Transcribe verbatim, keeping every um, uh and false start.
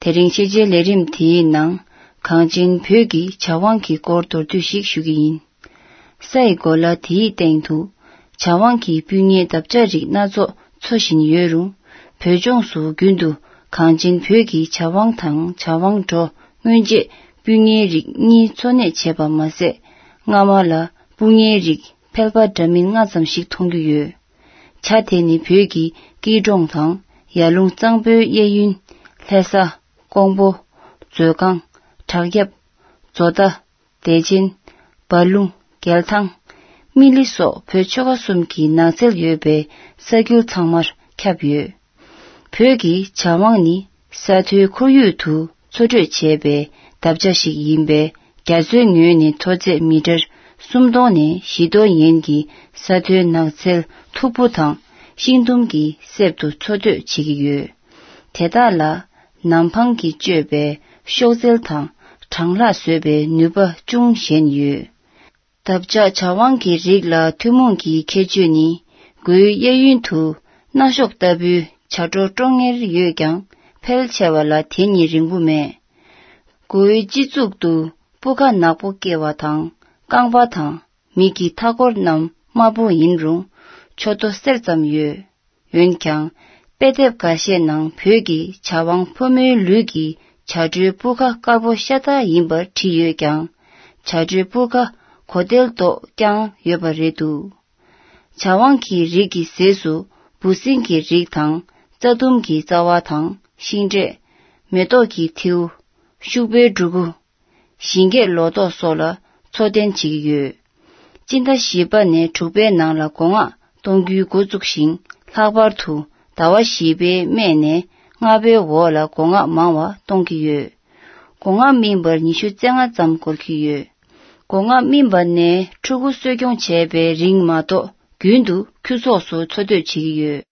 དེ་རིང་ཤེས་བྱའི་ལས་རིམ་དེའི་ནང་། གངས་ཅན་བོད་ཀྱི་བྱ་དབང་གི་སྐོར་མདོར་བསྡུས་ཤིག་ཞུ་གི་ཡིན། ས་ཡི་གོ་ལ་དེའི་སྟེང་དུ། བྱ་དབང་གི་སྤུས་ཉེའི་འདབ་ཆགས་རིགས་སྣ་ཚོགས་འཚོ་བཞིན་ཡོད་རུང་། བོད་ལྗོངས་སུ་རྒྱུན་དུ་གངས་ཅན་བོད་ཀྱི་བྱ་དབང་དང་བྱ་དབང་འབྲོག་སྔོན་ཆད་སྤུས་ཉེའི་རིགས་གཉིས་འཚོ་གནས་བྱས་པ་མ་ཟད། སྔ་མ་ལ་སྤུས་ཉེའི་རིགས་ཕལ་པ་འདྲ་མིན་ལྔ་ཙམ་ཞིག་མཐོང་རྒྱུ་ཡོད། བྱ་དེ་ནི་བོད་ཀྱི་སྐྱིད་གྲོང་དང་ཡར་ཀླུང་གཙང་པོའི་གཡས་གཡོན། ལྷ་ས། ཀོང་པོ། མཛོད་ཁང་། བྲག་གཡབ། མཛོ་མདའ། བདེ་ཆེན། འབའ་ལུང་། རྒྱལ་ཐང་། སྨི་ལི་སོགས་བོད་ཆོལ་ཁ་གསུམ་གྱི་ནགས་ཚལ་ཡོད་པའི་ས་ཁུལ་ཚང་མར་ཁྱབ་ཡོད། བོད་ཀྱི་བྱ་དབང་ནི་ས་མཐོའི་ཁོར་ཡུག་ཏུ་འཚོ་སྡོད་བྱས་པའི་འདབ་ཆགས་ཤིག་ཡིན་པས། རྒྱ་མཚོའི་ངོས་ནས་མཐོ་ཚད་མི་ཊར་སུམ་སྟོང་ནས་བཞི་སྟོང་ཡན་གྱི་ས་མཐོའི་ནགས་ཚལ་མཐུག་པོ་དང་ཤིང་དུམ་གྱི་གསེབ་ཏུ་འཚོ་སྡོད་བྱེད་ཀྱི་ཡོད། དེ་དག་ལ་ནམ་འཕང་གིས་གཅོད་པའི་གཤོག་རྩལ་དང་གྲང་ལྷགས་བཟོད་པའི་ནུས་པ་ཅུང་ཞན་ཡོད། འདབ་ཆགས་བྱ་དབང་གི་རིགས་ལ་ཐུན་མོང་གི་ཁྱད་ཆོས་ནི། མགོའི་གཡས་གཡོན་དུ་སྣ་གཤོག་ལྟ་བུའི་བྱ་སྒྲོ་ཀྲོང་ངེར་ཡོད་ཀྱང་། ཕལ་ཆེ་བ་ལ་དེ་གཉིས་རིང་པོ་མེད། མགོའི་སྤྱི་གཙུག་ཏུ་སྤུ་ཁ་ནག་པོ་སྐྱེ་བ་དང་། རྐང་པ་དང་མིག་གི་མཐའ་འཁོར་རྣམས་དམར་པོ་ཡིན་རུང་། མཆུ་ཏོ་སེར་ཙམ་ཡོད། འོན་ཀྱང་། དཔེ་དེབ་འགའ་ཤས་ནང་བོད་ཀྱི་བྱ་དབང་ཕོ་མོའི་ལུས་ཀྱི་བྱ་སྒྲོའི་སྤུ་ཁ་དཀར་པོ་ཤ་སྟག་ཡིན་པར་བྲིས་ཡོད་ཀྱང་། བྱ་སྒྲོའི་སྤུ་ཁ་གོ་དལ་མདོག་ཀྱང་ཡོད་པ་རེད་འདུག། བྱ་དབང་གི་རིགས་ཀྱི་ཟས་སུ་འབུ་སྲིན་གྱི་རིགས་དང་། རྩྭ་ལྡུམ་གྱི་རྩ་བ་དང་ཤིང་འབྲས། མེ་ཏོག་གི་མཐེའུ། ཤུག་པའི་འབྲུ་གུ། ཞིང་སྐྱེས་ལོ་ཏོག་སོགས་ལ་འཚོ་རྟེན་བྱེད་ཀྱི་ཡོད། སྤྱི་ཟླ་བཞི་པ་ནས་དྲུག་པའི་ནང་ལ་སྒོ་ང་གཏོང་རྒྱུའི་འགོ་བཙུགས་ཤིང་། ལྷག་པར་དུ་ཟླ་བ་བཞི་པའི་སྨད་ནས་ལྔ་པའི་འོག་ལ་སྒོ་ང་མང་བ་གཏོང་གི་ཡོད། སྒོ་ང་སྨིན་པར་ཉི་ཤུ་རྩ་ལྔ་ཙམ་འགོར་གྱི་ཡོད། སྒོ་ང་སྨིན་པ་ནས་ཕྲུ་གུ་གསོ་སྐྱོང་བྱས་པའི་རིང་མ་གཏོགས། རྒྱུན་དུ་ཁྱུ་ཚོགས་སུ་འཚོ་སྡོད་བྱེད་ཀྱི་ཡོད།